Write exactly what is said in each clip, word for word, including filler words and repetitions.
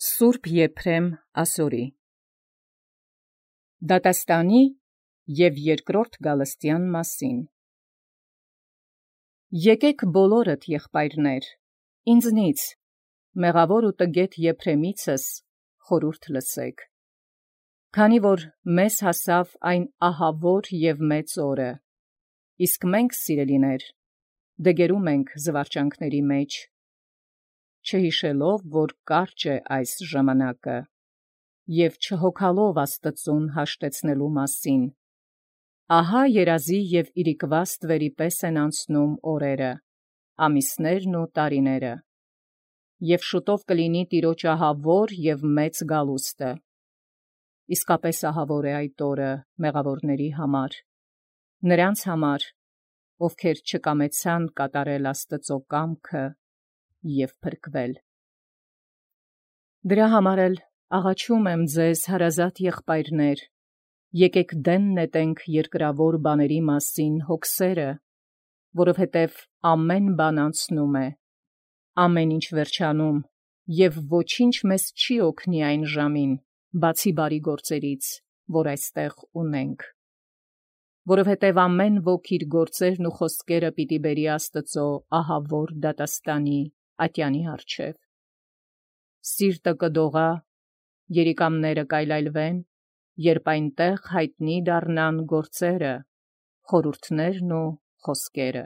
Սուրբ Եփրեմ ասորի Դատաստանի և երկրորդ Գալստյան մասին Եկեք բոլորդ եղբայրներ, ինձնից, մեղավոր ու տգետ Եփրեմիցս խորհուրդ լսեք, քանի որ մեզ հասավ այն ահավոր և մեծ օրը, իսկ մենք, սիրելիներ, դգերում ենք զվարճանքների մեջ, չհիշելով, որ կարճ է այս ժամանակը, և չհոգալով Աստծուն հաշտեցնելու մասին, ահա երազի և իրիկվա ստվերի պես են անցնում օրերը, ամիսներն ու տարիները, և շուտով կլինի Տիրոջ ահավոր և մեծ գալուստը, իսկապես ահավոր է այդ օրը մեղավորների համար, նրանց համար, ովքեր չկամեցան կատարել Աստծո կամքը և փրկվել։ Դրա համար էլ աղաչում եմ ձեզ, հարազատ եղբայրներ, եկեք դեն նետենք երկրավոր բաների մասին հոգսերը, որովհետև ամեն բան անցնում է, ամեն ինչ վերջանում, և ոչինչ մեզ չի օգնի այն ժամին, բացի բարի գործերից, որ այստեղ ունենք, որովհետև ամեն ոք իր գործերն ու խոսքերը պիտի բերի Աստծո ահավոր դատաստանի ատյանի առջև։ Սիրտը կդողա, երիկամները կայլայլվեն, երբ այնտեղ հայտնի դառնան գործերը, խորհուրդներն ու խոսքերը։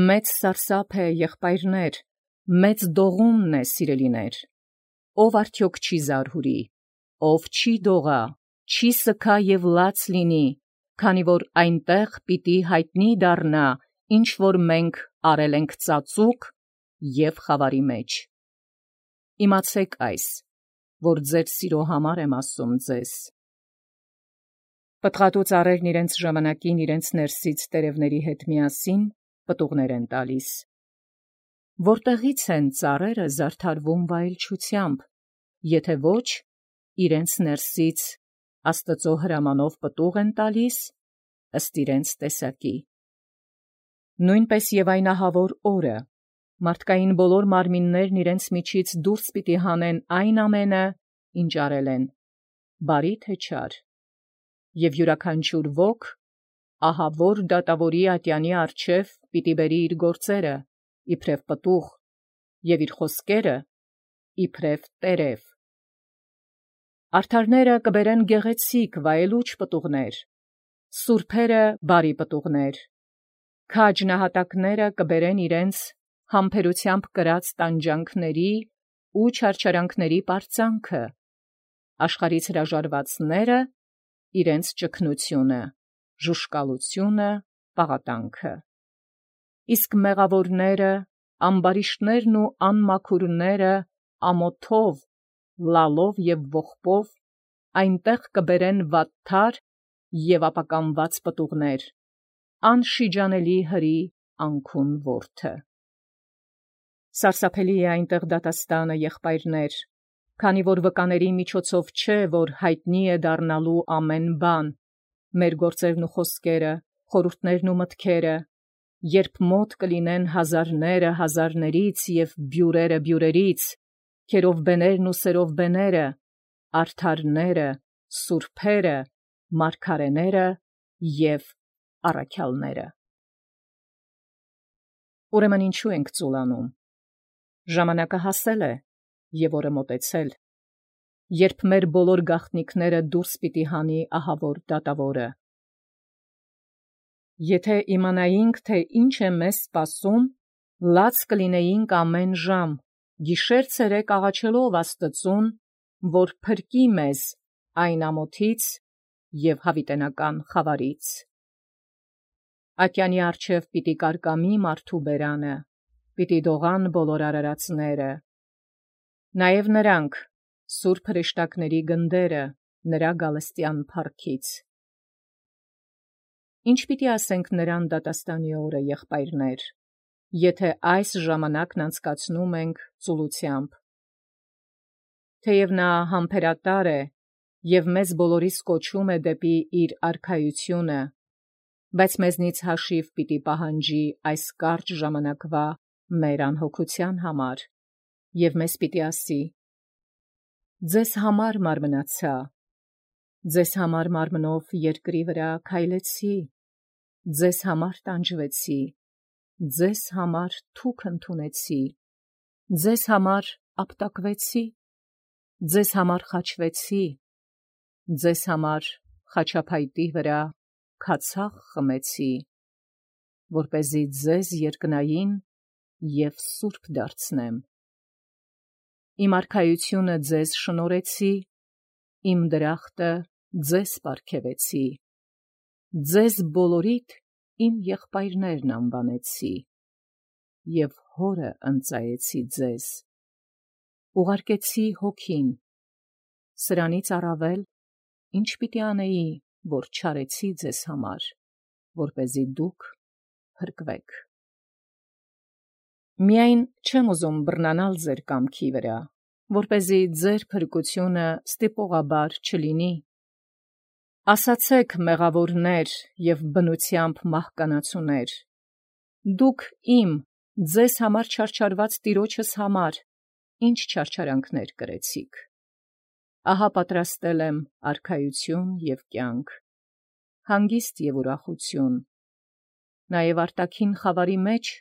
Մեծ սարսափ է, եղբայրներ, մեծ դողումն է, սիրելիներ, ով արդյոք չի զարհուրի, ով չի դողա, չի սգա և լաց լինի, քանի որ այնտեղ պիտի հայտնի դառնա, ինչ որ մենք արել ենք ծածուկ և խավարի մեջ։ Իմացեք այս, որ ձեր սիրո համար եմ ասում ձեզ։ Պտղատու ծառերն իրենց ժամանակին իրենց ներսից տերևների հետ միասին պտուղներ են տալիս։ Որտեղից են ծառերը զարդարվում վայելչությամբ, եթե ոչ իրենց ներսից Աստծո հրամանով պտուղ են տալիս, ըստ իրենց տեսակի։ Նույնպես և այն ահավոր օրը, մարդկային բոլոր մարմիններն իրենց միջից դուրս պիտի հանեն այն ամենը, ինչ արել են, բարի թե չար, և յուրաքանչյուր ոք ահավոր դատավորի ատյանի առջև պիտի բերի իր գործերը, իբրև պտուղ, և իր խոսքերը, իբրև տերև։ Արդարները կբերեն գեղեցիկ վայելուչ պտուղներ, սուրբերը բարի պտուղներ, քաջ նահատակները կբերեն իրենց համբերությամբ կրած տանջանքների ու չարչարանքների պարծանքը, աշխարհից հրաժարվածները իրենց ճգնությունը, ժուժկալությունը, պաղատանքը։ Իսկ մեղավորները, ամբարիշտներն ու անմաքուրները ամոթով, լալով և ողբով այնտեղ կբերեն վատթար և ապականված պտուղներ, անշիջանելի հրի անքուն որդը։ Սարսափելի է այնտեղ դատաստանը, եղբայրներ, քանի որ վկաների միջոցով չէ, որ հայտնի է դառնալու ամեն բան, մեր գործերն ու խոսքերը, խորհուրդներն ու մտքերը, երբ մոտ կլինեն հազարները հազարներից և բյուրերը բյուրերից, քերովբեներն ու սերովբեները, արդարները, սուրբերը, մարգարեները և առաքյալները։ Ուրեմն ինչու ենք ծուլանում։ Ժամանակը հասել է, և օրը մոտեցել, երբ մեր բոլոր գաղտնիքները դուրս պիտի հանի ահավոր դատավորը։ Եթե իմանայինք, թե ինչ է մեզ սպասում, լաց կլինեինք ամեն ժամ, գիշեր-ցերեկ աղաչելով Աստծուն, որ փրկի մեզ այն ամոթից և հավիտենական խավարից։ Ատյանի առջև պիտի կարկամի մարդու բերանը, պիտի դողան բոլոր արարածները, նաև նրանք, սուրբ հրեշտակների գնդերը, նրա գալստյան փառքից։ Ինչ պիտի ասենք նրան դատաստանի օրը, եղբայրներ, եթե այս ժամանակն անցկացնում ենք ծուլությամբ։ Թեև նա համբերատար է և մեզ բոլորիս կոչում է դեպի իր արքայությունը, բայց մեզնից հաշիվ պիտի պահանջի այս կարճ ժամանակվա մեր անհոգության համար, և մեզ պիտի ասի. ձեզ համար մարմնացա, ձեզ համար մարմնով երկրի վրա քայլեցի, ձեզ համար տանջվեցի, ձեզ համար թուք ընդունեցի, ձեզ համար ապտակվեցի, ձեզ համար խաչվեցի, ձեզ համար խաչափայտի վրա քացախ խմեցի, որպեսզի ձեզ երկնային և սուրբ դարձնեմ։ Իմ արքայությունը ձեզ շնորհեցի, իմ դրախտը ձեզ պարգևեցի, ձեզ բոլորիդ իմ եղբայրներն անվանեցի, և հորը ընծայեցի ձեզ, ուղարկեցի հոգին, սրանից առավել, ինչ պիտի անեի, որ չարեցի ձեզ համար, որպեսզի դուք փրկվեք։ Միայն չեմ ուզում բռնանալ ձեր կամքի վրա, որպեսզի ձեր փրկությունը ստիպողաբար չլինի։ Ասացեք մեղավորներ և բնությամբ մահկանացուներ, դուք իմ, ձեզ համար չարչարված տիրոջս համար, ինչ չարչարանքներ կրեցիք։ Ահա պատրաստել եմ արքայություն և կյանք, հանգիստ և ուրախություն, նաև արտաքին խավարի մեջ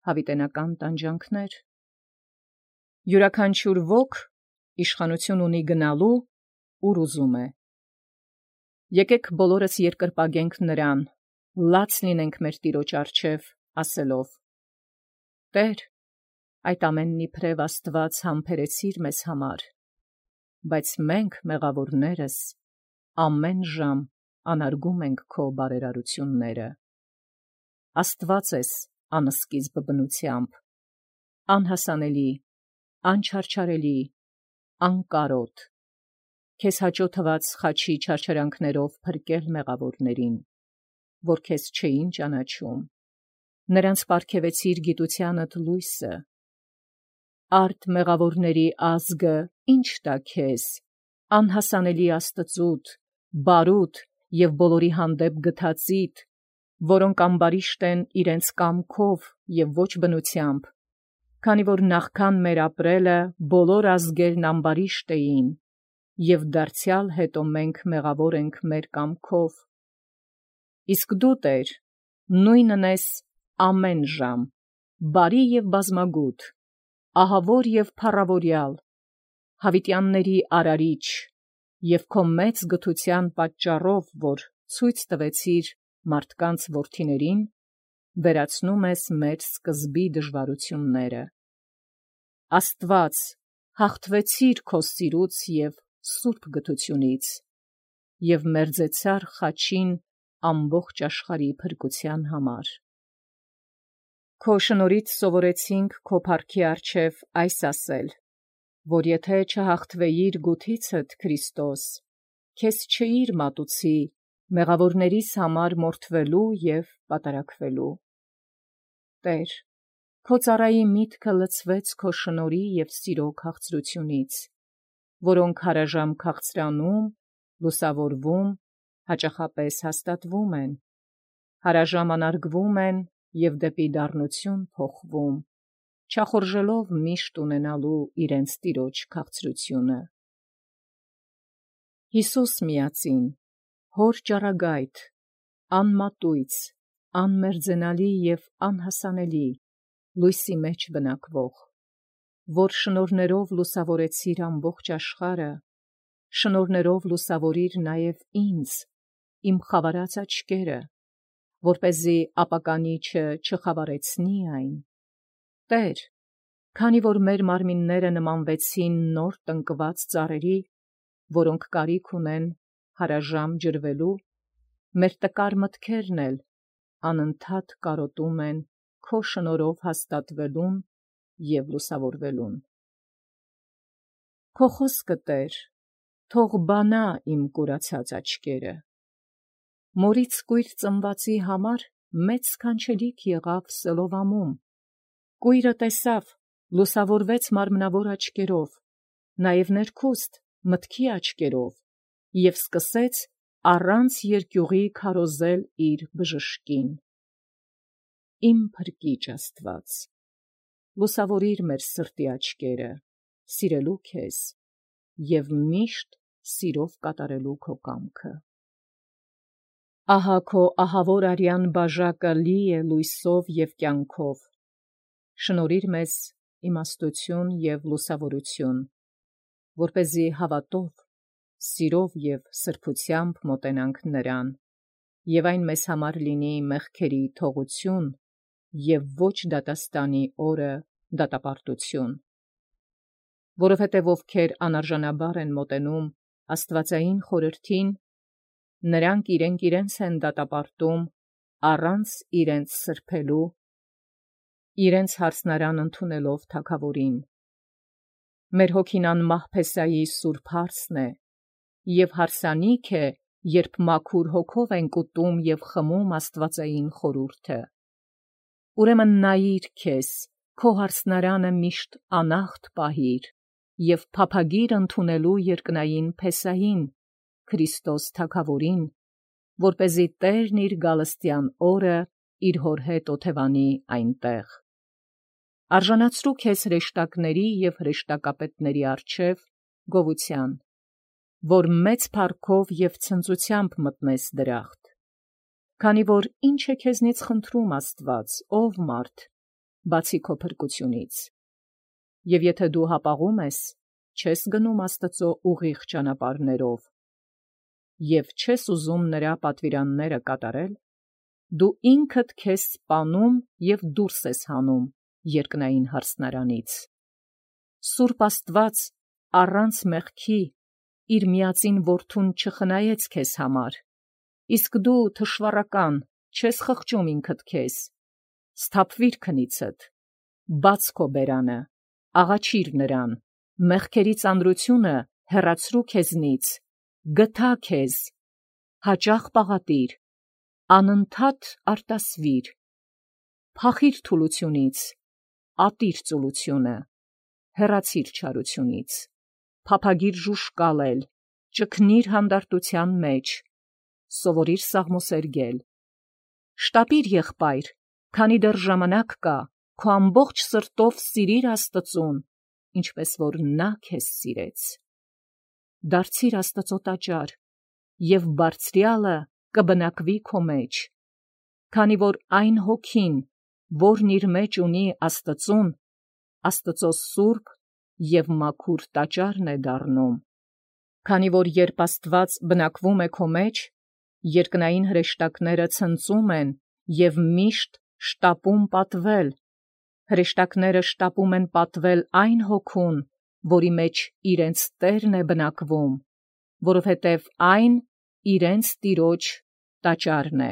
հավիտենական տանջանքներ։ Յուրաքանչյուր ոք իշխանություն ունի գնալու, ուր ուզում է։ Եկեք բոլորս երկրպագենք նրան, լաց լինենք մեր Տիրոջ առջև, ասելով. Տեր, այդ ամենն իբրև Աստված համբերեցիր մեզ համար, բայց մենք մեղավորներս ամեն ժամ անարգում ենք քո բարերարությունները։ Աստված ես անսկիզբ բնությամբ, անհասանելի, անչարչարելի, անկարոտ, քեզ հաճո թված խաչի չարչարանքներով փրկել մեղավորներին, որ քեզ չէին ճանաչում, նրանց պարգևեցիր գիտությանդ լույսը։ Արդ մեղավորների ազգը ինչ տա քեզ, անհասանելի Աստծուդ, բարուտ և բոլորի հանդեպ գթածիդ, որոնք ամբարիշտ են իրենց կամքով և ոչ բնությամբ, քանի որ նախքան մեր ապրելը բոլոր ազգերն ամբարիշտ էին, և դարձյալ հետո մենք մեղավոր ենք մեր կամքով։ Իսկ դու, Տեր, նույնն ես ամեն ժամ, բարի և բազմագութ, ահավոր և փառավորյալ, հավիտյանների արարիչ, և քո մեծ գթության պատճառով, որ ցույց տվեցիր մարդկանց որդիներին, վերացնում ես մեր սկզբի դժվարությունները։ Աստված, հաղթվեցիր քո սիրուց և սուրբ գթությունից, և մերձեցար խաչին ամբողջ աշխարհի փրկության համար։ Քո շնորհից սովորեցինք քո փառքի առջև այս ասել, որ եթե չհաղթվեիր գութիցդ, Քրիստոս, քեզ չէիր մատուցի մեղավորներիս համար մորթվելու և պատարագվելու։ Տեր, քո ծառայի միտքը լցվեց քո շնորհի և սիրո քաղցրությունից, որոնք հարաժամ քաղցրանում, լուսավորվում, հաճախապես հաստատվում են, հարաժամ անարգվում են և դեպի դառնություն փոխվում, չախորժելով միշտ ունենալու իրենց տիրոջ քաղցրությունը։ Հիսուս միածին, հոր ճառագայթ, անմատույց, անմերձենալի և անհասանելի, լույսի մեջ բնակվող, որ շնորհներով լուսավորեցիր ամբողջ աշխարհը, շնորհներով լուսավորիր նաև ինձ, իմ խավարած աչքերը, որպեսզի ապականիչը չխավարեցնի այն։ Տեր, քանի որ մեր մարմինները նմանվեցին նոր տնկված ծառերի, որոնք կարիք ունեն հարաժամ ջրվելու, մեր տկար մտքերն էլ անընդհատ կարոտում են քո շնորհով հաստատվելուն և լուսավորվելուն։ Քո խոսքը, Տեր, թող բանա իմ կուրացած աչքերը։ Մորից կույր ծնվածի համար մեծ սքանչելիք եղավ Սելովամում, կույրը տեսավ, լուսավորվեց մարմնավոր աչքերով, նաև ներքուստ մտքի աչքերով, և սկսեց առանց երկյուղի քարոզել իր բժշկին։ Իմ Փրկիչ Աստված, լուսավորիր մեր սրտի աչքերը, սիրելու քեզ, և միշտ սիրով կատարելու քո կամքը։ Ահա քո ահավոր արյան բաժակը լի է լույսով և կյանքով, շնորհիր մեզ իմաստություն և լուսավորություն, որպեսզի հավատով, սիրով և սրբությամբ մոտենանք նրան, և այն մեզ համար լինի մեղքերի թողություն և ոչ դատաստանի օրը դատապարտություն, որովհետև ովքեր անարժանաբար են մոտենում աստվածային խորհրդին, նրանք իրենք իրենց են դատապարտում առանց իրենց սրբելու, իրենց յարսնարան ընդունելով թագավորին։ Մեր հոգին անմահ Փեսայի սուրբ հարսն է, և հարսանիք է, երբ մաքուր հոգով ենք ուտում և խմում աստվածային խորհուրդը։ Ուրեմն նայիր քեզ, քո հարսնարանը միշտ անախտ պահիր և փափագիր ընդունելու երկնային Փեսային, Քրիստոս թագավորին, որպեսզի Տերն իր գալստյան օրը իր հոր հետ օթևանի այնտեղ։ Արժանացրու քեզ հրեշտակների և հրեշտակապետների առջև գովության, որ մեծ փառքով և ցնծությամբ մտնես դրախտ, քանի որ ի՞նչ է քեզնից խնդրում Աստված, ով մարդ, բացի քո փրկությունից, և եթե դու հապաղում ես, չես գնում Աստծու ուղիղ ճանապարհներով, և չես ուզում նրա պատվիրանները կատարել, դու ինքդ քեզ սպանում և դուրս ես հանում երկնային հարսնարանից։ Սուրբ Աստված առանց մեղքի իր միածին որդուն չխնայեց քեզ համար, իսկ դու թշվառական չես խղճում ինքդ քեզ, սթափվիր քնիցդ, բաց քո բերանը, աղաչիր նրան, մեղքերի ծանրությունը հեռացրու քեզնից, գթա քեզ, հաճախ պաղատիր, անընդհատ արտասվիր, փախիր թուլությունից, ատիր ծուլությունը, հեռացիր չարությունից, փափագիր ժուժկալել, ճգնիր հանդարտության մեջ, սովորիր սաղմոսերգել, շտապիր եղբայր, քանի դեռ ժամանակ կա, քո ամբողջ սրտով սիրիր Աստծուն, ինչպես որ նա քեզ սիրեց։ Դարձիր Աստծու տաճար, և Բարձրյալը կբնակվի քո մեջ, քանի որ այն Հոգին, որն իր մեջ ունի Աստծուն, Աստծու սուրբ և մաքուր տաճարն է դառնում, քանի որ երբ Աստված բնակվում է քո մեջ, երկնային հրեշտակները ցնծում են և միշտ շտապում պատվել, հրեշտակները շտապում են պատվել այն Հոգուն, որի մեջ իրենց Տերն է բնակվում, որովհետև այն իրենց Տիրոջ տաճարն է։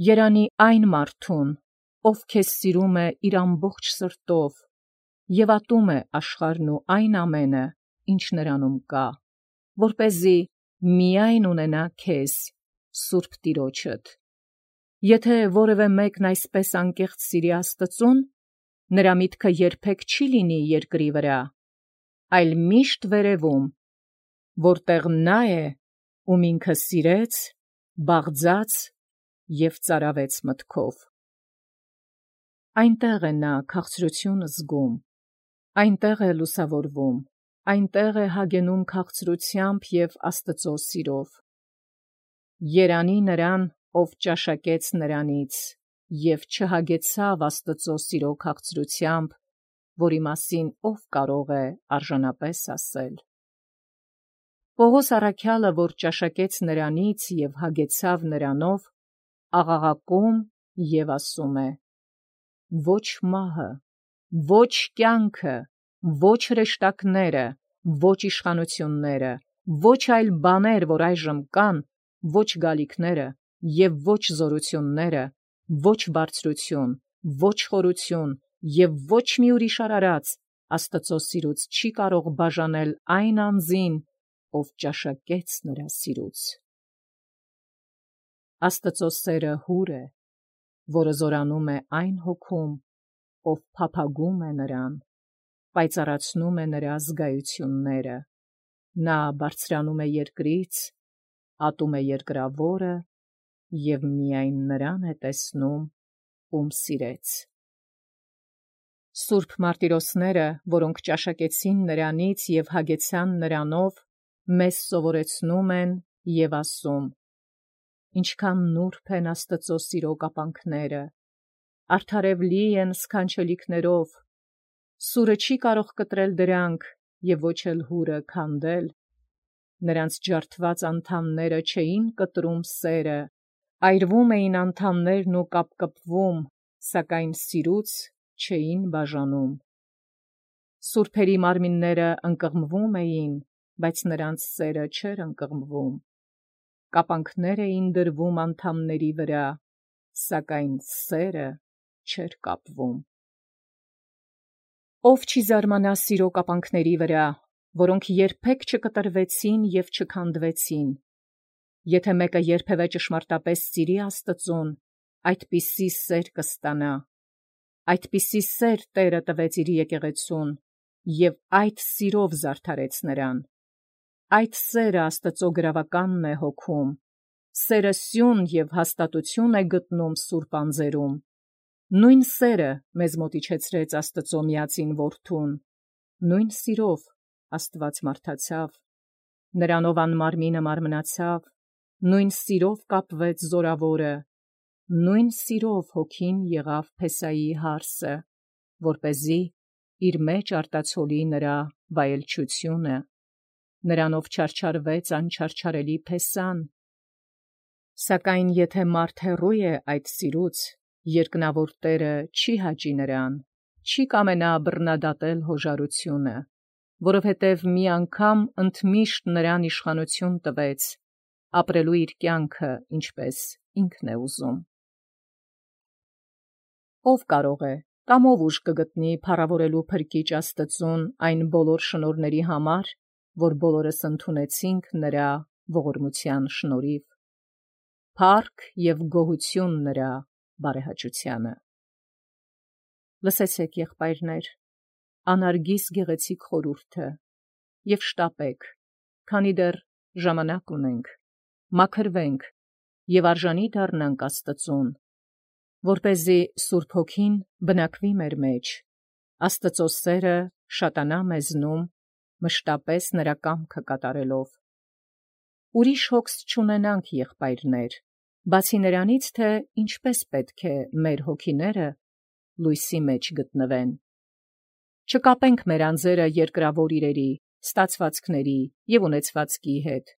Երանի այն մարդուն, ով քեզ սիրում է իր ամբողջ սրտով և ատում է աշխարհն ու այն ամենը, ինչ նրանում կա, որպեսզի միայն ունենա քեզ, Սուրբ Տիրոջդ։ Եթե որևէ մեկն այսպես անկեղծ սիրի Աստծուն, նրա միտքը երբեք չի լինի երկրի վրա, այլ միշտ վերևում, որտեղ նա է, ում ինքը սիրեց, բաղձաց և ծարավեց մտքով։ Այնտեղ է նա քաղցրություն զգում, այնտեղ է լուսավորվում, այնտեղ է հագենում քաղցրությամբ և Աստծու սիրով։ Երանի նրան, ով ճաշակեց նրանից և չհագեցավ Աստծու սիրո քաղցրությամբ, որի մասին ով կարող է արժանապես ասել։ Պողոս առաքյալը, որ ճաշակեց նրանից և հագեցավ նրանով, աղաղակում և ասում է. «Ոչ մահը, ոչ կյանքը, ոչ հրեշտակները, ոչ իշխանությունները, ոչ այլ բաներ, որ այժմ կան, ոչ գալիքները և ոչ զորությունները, ոչ բարձրություն, ոչ խորություն և ոչ մի ուրիշ արարած Աստծու սիրուց չի կարող բաժանել այն անձին, ով ճաշակեց նրա սիրուց»։ Աստծու սերը հուր է, որը զորանում է այն Հոգում, ով փափագում է նրան, պայծառացնում է նրա զգայությունները, նա բարձրանում է երկրից, ատում է երկրավորը և միայն նրան է տեսնում, ում սիրեց։ Սուրբ մարտիրոսները, որոնք ճաշակեցին նրանից եւ հագեցան նրանով, մեզ սովորեցնում են եւ ասում. ինչքան նուրբ են Աստծո սիրո կապանքները, արդարևլի են սքանչելիքներով, սուրը չի կարող կտրել դրանք եւ ոչ էլ հուրը քանդել, նրանց ջարդված անդամները չէին կտրում սերը, այրվում էին անդամներն ու կապկպվում, սակայն սիրուց չէին բաժանում։ Սուրբերի մարմինները ընկղմվում էին, բայց նրանց սերը չէր ընկղմվում։ Կապանքներ էին դրվում անդամների վրա, սակայն սերը չէր կապվում։ Ով չի զարմանա սիրո կապանքների վրա, որոնք երբեք չկտրվեցին եւ չքանդվեցին։ Եթե մեկը երբևէ ճշմարտապես սիրի Աստծուն, այդպիսի սեր կստանա։ Այդպիսի սեր Տերը տվեց իր եկեղեցուն, եւ այդ սիրով զարդարեց նրան։ Այդ սերը Աստծո գրավականն է հոգում, սերը սյուն եւ հաստատություն է գտնում սուրբ անձերում։ Նույն սերը մեզ մոտիչեցրեց Աստծո միածին որդուն, նույն սիրով Աստված մարդացավ, նրանով անմարմինը մարմնացավ, նույն սիրով կապվեց զորավորը, նույն սիրով հոգին եղավ Փեսայի հարսը, որպեսզի իր մեջ արտացոլի նրա վայելչությունը, նրանով չարչարվեց անչարչարելի Փեսան։ Սակայն եթե մարդ հեռու է այդ սիրուց, երկնավոր Տերը չի հաճի նրան, չի կամենա բռնադատել հոժարությունը, որովհետև մի անգամ ընդմիշտ նրան իշխանություն տվեց, ապրելու իր կյանքը, ինչպես ինքն է ուզում։ Ով կարող է, կամ ով ուժ կգտնի փառավորելու փրկիչ Աստծուն այն բոլոր շնորհների համար, որ բոլորս ընդունեցինք նրա ողորմության շնորհիվ։ Փառք եւ գոհություն նրա բարեհաճությանը։ Լսեցեք, եղբայրներ, անարգիս գեղեցիկ խորհուրդը եւ շտապեք, քանի դեռ ժամանակ ունենք, մաքրվենք եւ արժանի դառնանք Աստծուն, որպեսզի Սուրբ Հոգին բնակվի մեր մեջ, Աստծո սերը շատանա մեզնում, մշտապես նրա կամքը կատարելով։ Ուրիշ հոգս չունենանք, եղբայրներ, բացի նրանից, թե ինչպես պետք է մեր հոգիները լույսի մեջ գտնվեն։ Չկապենք մեր անձերը երկրավոր իրերի, ստացվածքների եւ ունեցվածքի հետ,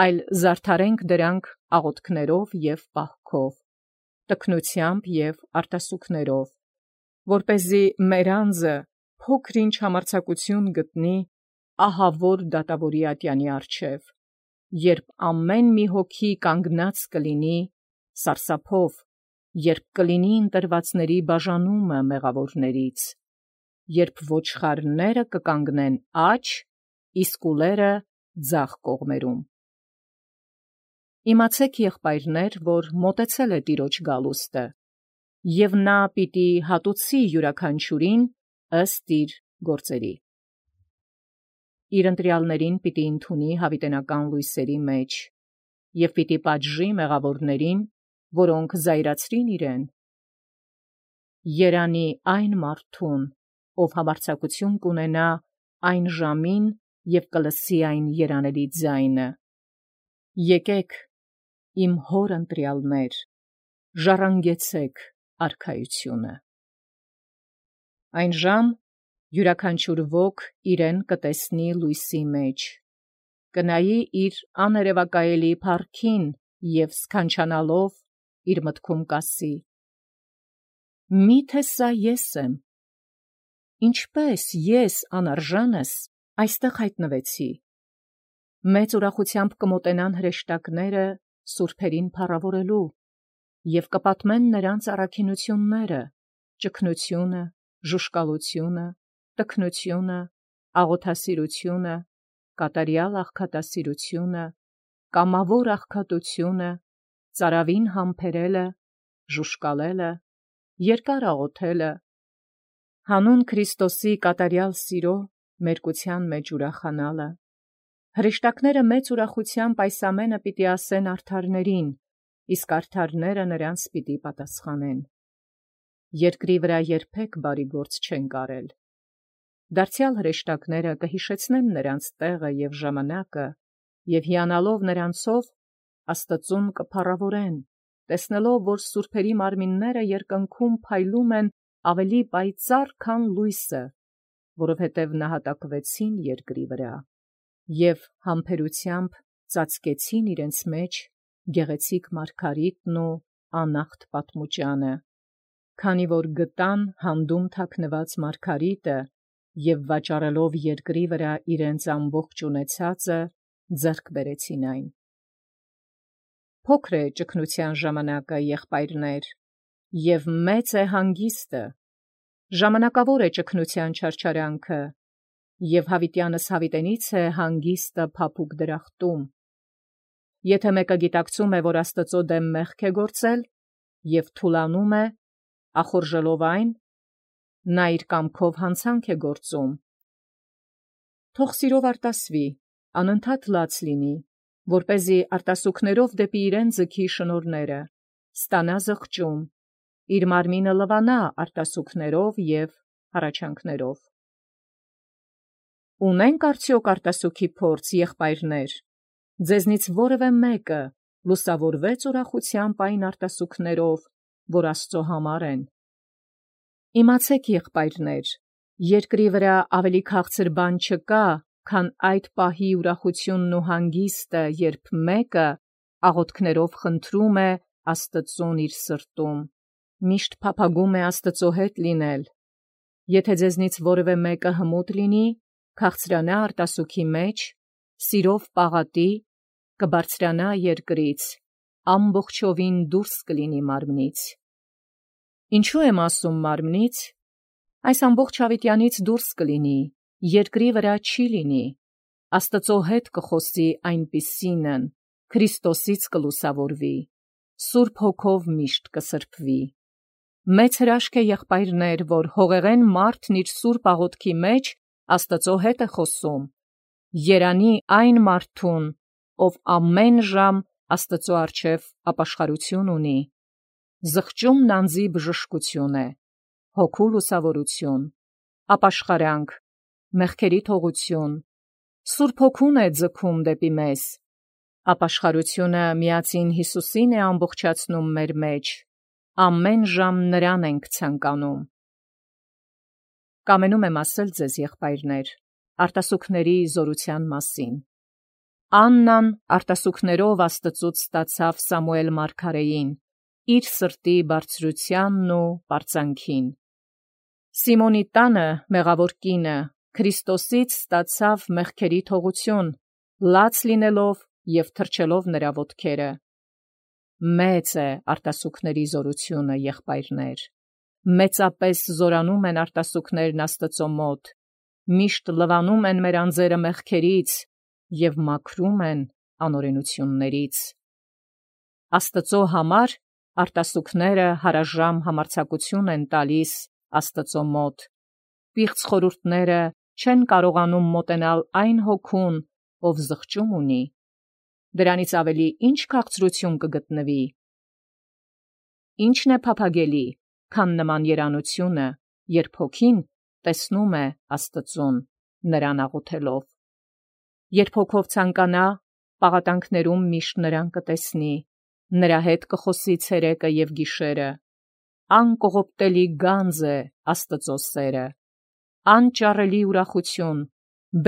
այլ զարդարենք դրանք աղոթքներով եւ պահքով, տքնությամբ եւ արտասուքներով, որպեսզի մեր անձը փոքր-ինչ համարձակություն գտնի ահավոր դատավորի ատյանի առջև, երբ ամեն մի հոգի կանգնած կլինի սարսափով, երբ կլինի ընտրվածների բաժանումը մեղավորներից, երբ ոչխարները կկանգնեն աջ, իսկ ուլերը ձախ կողմերում։ Իմացեք, եղբայրներ, որ մոտեցել է Տիրոջ գալուստը, եւ նա պիտի հատուցի յուրաքանչյուրին ըստ իր գործերի։ Իր ընտրյալներին պիտի ընդունի հավիտենական լույսերի մեջ, եւ պիտի պատժի մեղավորներին, որոնք զայրացրին իրեն։ Երանի այն մարդուն, ով համարձակություն կունենա այն ժամին եւ կլսի այն երանելի ձայնը. եկեք, իմ հոր ընտրյալներ, ժառանգեցեք արքայությունը։ Այն ժամ յուրաքանչյուր ոք իրեն կտեսնի լույսի մեջ, կնայի իր աներևակայելի փառքին եւ սքանչանալով իր մտքում կասի. միթե սա ես եմ, ինչպես ես անարժանս այստեղ հայտնվեցի։ Մեծ ուրախությամբ կմոտենան հրեշտակները սուրբերին փառավորելու եւ կպատմեն նրանց առաքինությունները, ճգնությունը, ժուշկալությունը, տքնությունը, աղոթասիրությունը, կատարյալ աղքատասիրությունը, կամավոր աղքատությունը, ծարավին համբերելը, ժուշկալելը, երկար աղոթելը, հանուն Քրիստոսի կատարյալ սիրո մերկության մեջ ուրախանալը։ Հրեշտակները մեծ ուրախությամբ այս ամենը պիտի ասեն արդարներին, իսկ արդարները նրանց պիտի պատասխանեն։ երկրի վրա երբեք բարի գործ չեն կարել։ Դարձյալ հրեշտակները կհիշեցնեն նրանց տեղը և ժամանակը, և հիանալով նրանցով Աստծուն կփառավորեն, տեսնելով, որ սուրբերի մարմինները երկնքում փայլում են ավելի պայծառ, քան լույսը, որովհետև նահատակվեցին երկրի վրա, և համբերությամբ ծածկեցին իրենց մեջ գեղեցիկ մարգարիտն ու անախտ պատմուճանը, քանի որ գտան հանդում թաքնված մարգարիտը և վաճառելով երկրի վրա իրենց ամբողջ ունեցածը, ձեռք բերեցին այն։ Փոքր է ճգնության ժամանակը, եղբայրներ, և մեծ է հանգիստը, ժամանակավոր է ճգնության չարչարանքը, և հավիտյանս հավիտենից է հանգիստը փափուկ դրախտում։ Եթե մեկը գիտակցում է, որ Աստծո դեմ մեղք է գործել, և թուլանում է, ախորժելով այն, նա իր կամքով հանցանք է գործում։ Թող սիրով արտասվի, անընդհատ լաց լինի, որպեսզի արտասուքներով դեպի իրեն ձգի շնորհները, ստանա զղջում, իր մարմինը լվանա արտասուքներով և հառաչանքներով։ Ունենք արդյոք արտասուքի փորձ, եղբայրներ, ձեզնից որևէ մեկը լուսավորվեց ուրախությամբ այն արտասուքներով, որ Աստծո համար են։ Իմացեք, եղբայրներ, երկրի վրա ավելի քաղցր բան չկա, քան այդ պահի ուրախությունն ու հանգիստը, երբ մեկը աղոթքներով խնդրում է Աստծուն իր սրտում, միշտ փափագում է Աստծո հետ լինել։ Եթե ձեզնից որևէ մեկը հմուտ լինի, քաղցրանա արտասուքի մեջ, սիրով պաղատի, կբարձրանա երկրից, ամբողջովին դուրս կլինի մարմնից։ Ինչու եմ ասում մարմնից, այս ամբողջ հավիտյանից դուրս կլինի, երկրի վրա չի լինի, Աստծո հետ կխոսի այնպիսինն, Քրիստոսից կլուսավորվի, Սուրբ Հոգով միշտ կսրբվի։ Մեծ հրաշք է, եղբայրներ, որ հողեղեն մարդն իր սուրբ աղոթքի մեջ Աստծո հետ է խոսում։ Երանի այն մարդուն, ով ամեն ժամ Աստծո առջև ապաշխարություն ունի։ Զղջումն անձի բժշկություն է, հոգու լուսավորություն, ապաշխարանք, մեղքերի թողություն, Սուրբ Հոգուն է ձգում դեպի մեզ։ Ապաշխարությունը միածին Հիսուսին է ամբողջացնում մեր մեջ, ամեն ժամ նրան ենք ցանկանում։ Կամենում եմ ասել ձեզ, եղբայրներ, արտասուքների զորության մասին։ Աննան արտասուքներով Աստծուց ստացավ Սամուել մարգարեին, իր սրտի բարձրությանն ու պարծանքին։ Սիմոնի տանը մեղավոր կինը Քրիստոսից ստացավ մեղքերի թողություն, լաց լինելով և թրջելով նրա ոտքերը։ Մեծ է արտասուքների զորությունը, եղբայրներ, մեծապես զորանում են արտասուքներն Աստծո մոտ, միշտ լվանում են մեր անձերը մեղքերից և մաքրում են անօրենություններից։ Աստծո համար արտասուքները հարաժամ համարձակություն են տալիս Աստծո մոտ։ Պիղծ խորհուրդները չեն կարողանում մոտենալ այն հոգուն, ով զղջում ունի։ Դրանից ավելի ի՞նչ քաղցրություն կգտնվի։ Ի՞նչն է փափագելի, քան նման երանությունը, երբ հոգին տեսնում է Աստծուն, նրան աղոթելով։ Երբ հոգով ցանկանա, պաղատանքներում միշտ նրան կտեսնի, նրա հետ կխոսի ցերեկը և գիշերը։ Անկողոպտելի գանձ է Աստծո սերը, անճարելի ուրախություն,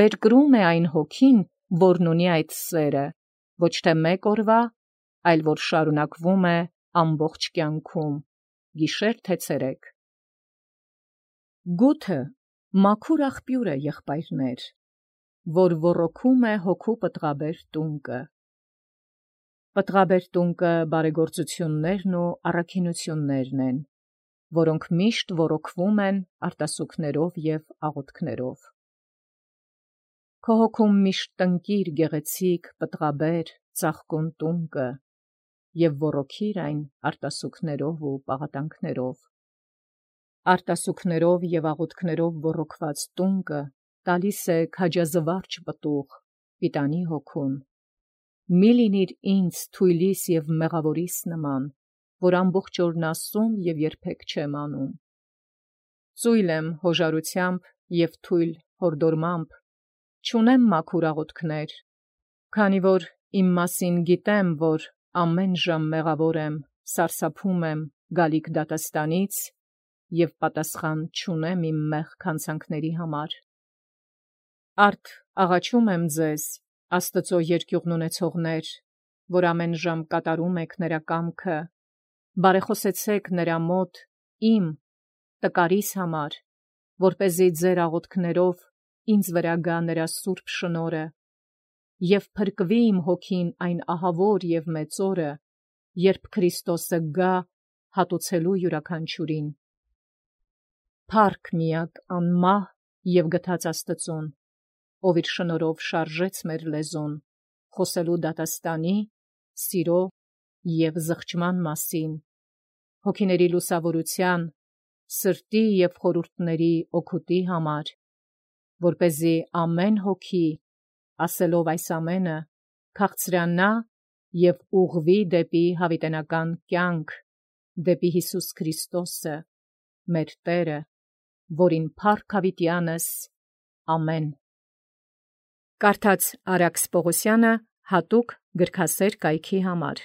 բերկրում է այն հոգին, որն ունի այդ սերը, ոչ թե մեկ օրվա, այլ որ շարունակվում է ամբողջ կյանքում, գիշեր թե ցերեկ։ Գութը մաքուր աղբյուր է, եղբայրներ, որ ոռոգում է հոգու պտղաբեր տունկը։ Պտղաբեր տունկը բարեգործություններն ու առաքինություններն են, որոնք միշտ ոռոգվում են արտասուքներով և աղոթքներով։ Քո հոգում միշտ տնկիր գեղեցիկ, պտղաբեր, ծաղկուն տունկը և ոռոգիր այն արտասուքներով ու պաղատանքներով։ Արտասուքներով և աղոթքներով ոռոգված տունկը տալիս է քաջազվարճ պտուղ, պիտանի հոգուն։ Մի՛ լինիր ինձ թույլիս և մեղավորիս նման, որ ամբողջ օրն ասում և երբեք չեմ անում։ Ծույլ եմ հոժարությամբ և թույլ հորդորմամբ, չունեմ մաքուր աղոթքներ, քանի որ իմ մասին գիտեմ, որ ամեն ժամ մեղավոր եմ, սարսափում եմ գալիք դատաստանից և պատասխան չունեմ իմ մեղք հանցանքների համար։ Արդ աղաչում եմ ձեզ, Աստծո երկյուղն ունեցողներ, որ ամեն ժամ կատարում եք նրա կամքը, բարեխոսեցեք նրա մոտ իմ տկարիս համար, որպեսզի ձեր աղոթքներով ինձ վրա գա նրա սուրբ շնորհը և փրկվի իմ հոգին այն ահավոր և մեծ օրը, երբ Քրիստոսը գա հատուցելու յուրաքանչյուրին։ Փառք միակ անմահ և գթած Աստծուն, ով իր շնորհով շարժեց մեր լեզուն, խոսելու դատաստանի, սիրո և զղջման մասին, հոգիների լուսավորության, սրտի և խորհուրդների օգուտի համար, որպեսզի ամեն հոգի, ասելով այս ամենը, քաղցրանա և ուղղվի դեպի հավիտենական կյանք, դեպի Հիսուս Քրիստոսը, մեր Տերը, որին փառք հավիտյանս, ամեն։ Կարդաց Արաքս Պողոսյանը հատուկ գրքասեր կայքի համար։